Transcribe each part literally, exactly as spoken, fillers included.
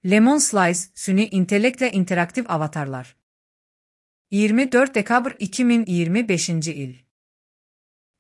Lemon Slice, süni intellektlə interaktiv avatarlar. iyirmi dörd dekabr iki min iyirmi beşinci il.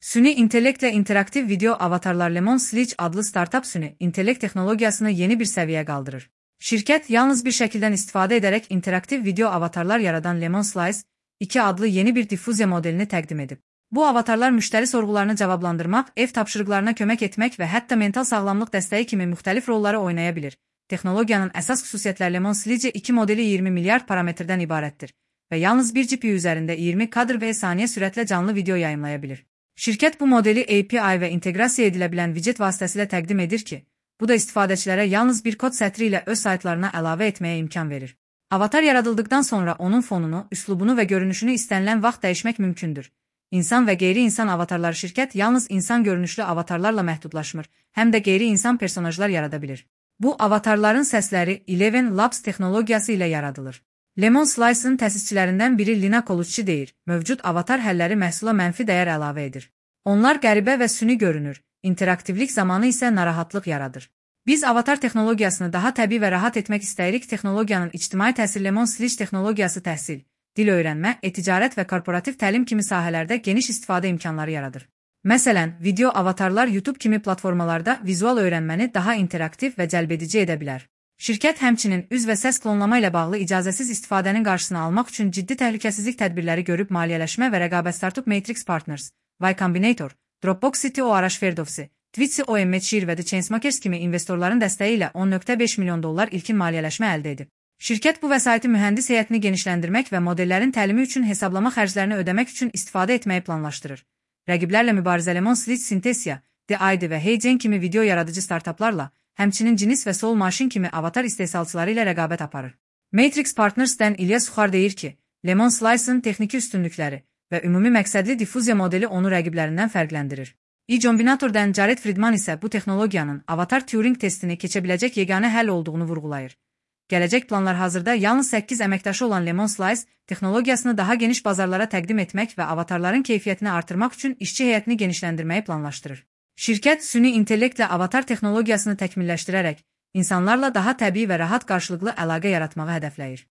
Süni intellektlə interaktiv video avatarlar Lemon Slice adlı startup süni intellekt texnologiyasını yeni bir səviyyəyə qaldırır. Şirkət yalnız bir şəkildən istifadə edərək interaktiv video avatarlar yaradan Lemon Slice iki adlı yeni bir diffuziya modelini təqdim edib. Bu avatarlar müştəri sorğularını cavablandırmaq, ev tapşırıqlarına kömək etmək və hətta mental sağlamlıq dəstəyi kimi müxtəlif rolları oynaya bilir. Texnologiyanın əsas xüsusiyyətləri Lemon Slice iki modeli iyirmi milyard parametrdən ibarətdir və yalnız bir G P U üzərində iyirmi kadr və saniyə sürətlə canlı video yayımlaya bilir. Şirkət bu modeli A P I və inteqrasiya edilə bilən widget vasitəsilə təqdim edir ki, bu da istifadəçilərə yalnız bir kod sətri ilə öz saytlarına əlavə etməyə imkan verir. Avatar yaradıldıqdan sonra onun fonunu, üslubunu və görünüşünü istənilən vaxt dəyişmək mümkündür. İnsan və qeyri-insan avatarları şirkət yalnız insan görünüşlü avatarlarla məhdudlaşmır, həm də qeyri-insan personajlar yarada bilir. Bu avatarların səsləri Eleven Labs texnologiyası ilə yaradılır. Lemon Slice'ın təsisçilərindən biri Lina Colucci deyir, mövcud avatar həlləri məhsula mənfi dəyər əlavə edir. Onlar qəribə və süni görünür, interaktivlik zamanı isə narahatlıq yaradır. Biz avatar texnologiyasını daha təbii və rahat etmək istəyirik. Texnologiyanın ictimai təsir Lemon Slice texnologiyası təhsil, dil öyrənmə, e-ticarət və korporativ təlim kimi sahələrdə geniş istifadə imkanları yaradır. Məsələn, video avatarlar YouTube kimi platformalarda vizual öyrənməni daha interaktiv və cəlbedici edə bilər. Şirkət həmçinin üz və səs klonlama ilə bağlı icazəsiz istifadənin qarşısını almaq üçün ciddi təhlükəsizlik tədbirləri görüb maliyyələşmə və rəqabət startup Matrix Partners, Y Combinator, Dropbox C T O Arash Ferdowsi, Twitsi O M Shir və The Chainsmokers kimi investorların dəstəyi ilə on nöqtə beş milyon dollar ilkin maliyyələşmə əldə edib. Şirkət bu vəsaiti mühəndis heyətini genişləndirmək və modellərin təlimi üçün hesablama xərclərini ödəmək üçün istifadə etməyi planlaşdırır. Rəqiblərlə mübarizə Lemon Slice Synthesia, The I D və HeyGen kimi video yaradıcı startuplarla, həmçinin Cinis və Soul Machine kimi avatar istehsalçıları ilə rəqabət aparır. Matrix Partners'dən İlyas Suxar deyir ki, Lemon Slice'ın texniki üstünlükləri və ümumi məqsədli diffuziya modeli onu rəqiblərindən fərqləndirir. Y Combinator'dan Jared Friedman isə bu texnologiyanın avatar Turing testini keçə biləcək yeganə həll olduğunu vurğulayır. Gələcək planlar hazırda yalnız səkkiz əməkdaşı olan Lemon Slice texnologiyasını daha geniş bazarlara təqdim etmək və avatarların keyfiyyətini artırmaq üçün işçi heyətini genişləndirməyi planlaşdırır. Şirkət süni intellektlə avatar texnologiyasını təkmilləşdirərək insanlarla daha təbii və rahat qarşılıqlı əlaqə yaratmağı hədəfləyir.